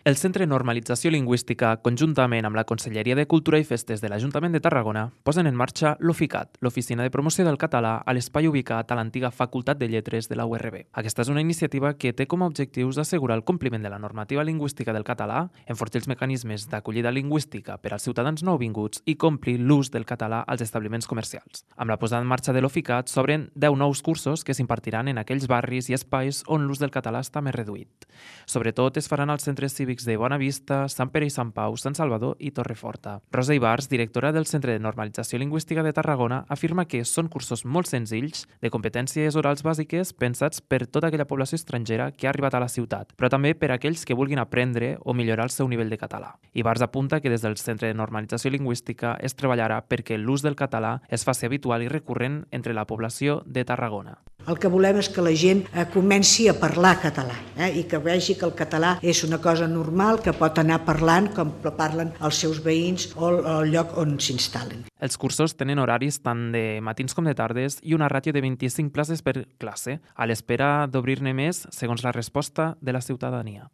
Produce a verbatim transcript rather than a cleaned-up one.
El Centre de Normalització Lingüística, conjuntament amb la Conselleria de Cultura i Festes de l'Ajuntament de Tarragona, posen en marxa l'OFICAT, l'Oficina de Promoció del Català, a l'espai ubicat a l'antiga Facultat de Lletres de la U R B. Aquesta és una iniciativa que té com a objectius assegurar el compliment de la normativa lingüística del català, enfortir els mecanismes d'acollida lingüística per als ciutadans nouvinguts i complir l'ús del català als establiments comercials. Amb la posada en marxa de l'OFICAT s'obren deu nous cursos que s'impartiran en aquells barris i espais on l'ús del català està més reduït. Sobretot es faran als centres cívics de Bonavista, Sant Pere i Sant Pau, Sant Salvador i Torreforta. Rosa Ibars, directora del Centre de Normalització Lingüística de Tarragona, afirma que són cursos molt senzills, de competències orals bàsiques pensats per tota aquella població estrangera que ha arribat a la ciutat, però també per a aquells que vulguin aprendre o millorar el seu nivell de català. Ibars apunta que des del Centre de Normalització Lingüística es treballarà perquè l'ús del català es faci habitual i recurrent entre la població de Tarragona. El que volem és que la gent eh, comenci a parlar català eh, i que vegi que el català és una cosa normal, que pot anar parlant com parlen els seus veïns o el lloc on s'instal·len. Els cursos tenen horaris tant de matins com de tardes i una ràtio de vint-i-cinc places per classe, a l'espera d'obrir-ne més segons la resposta de la ciutadania.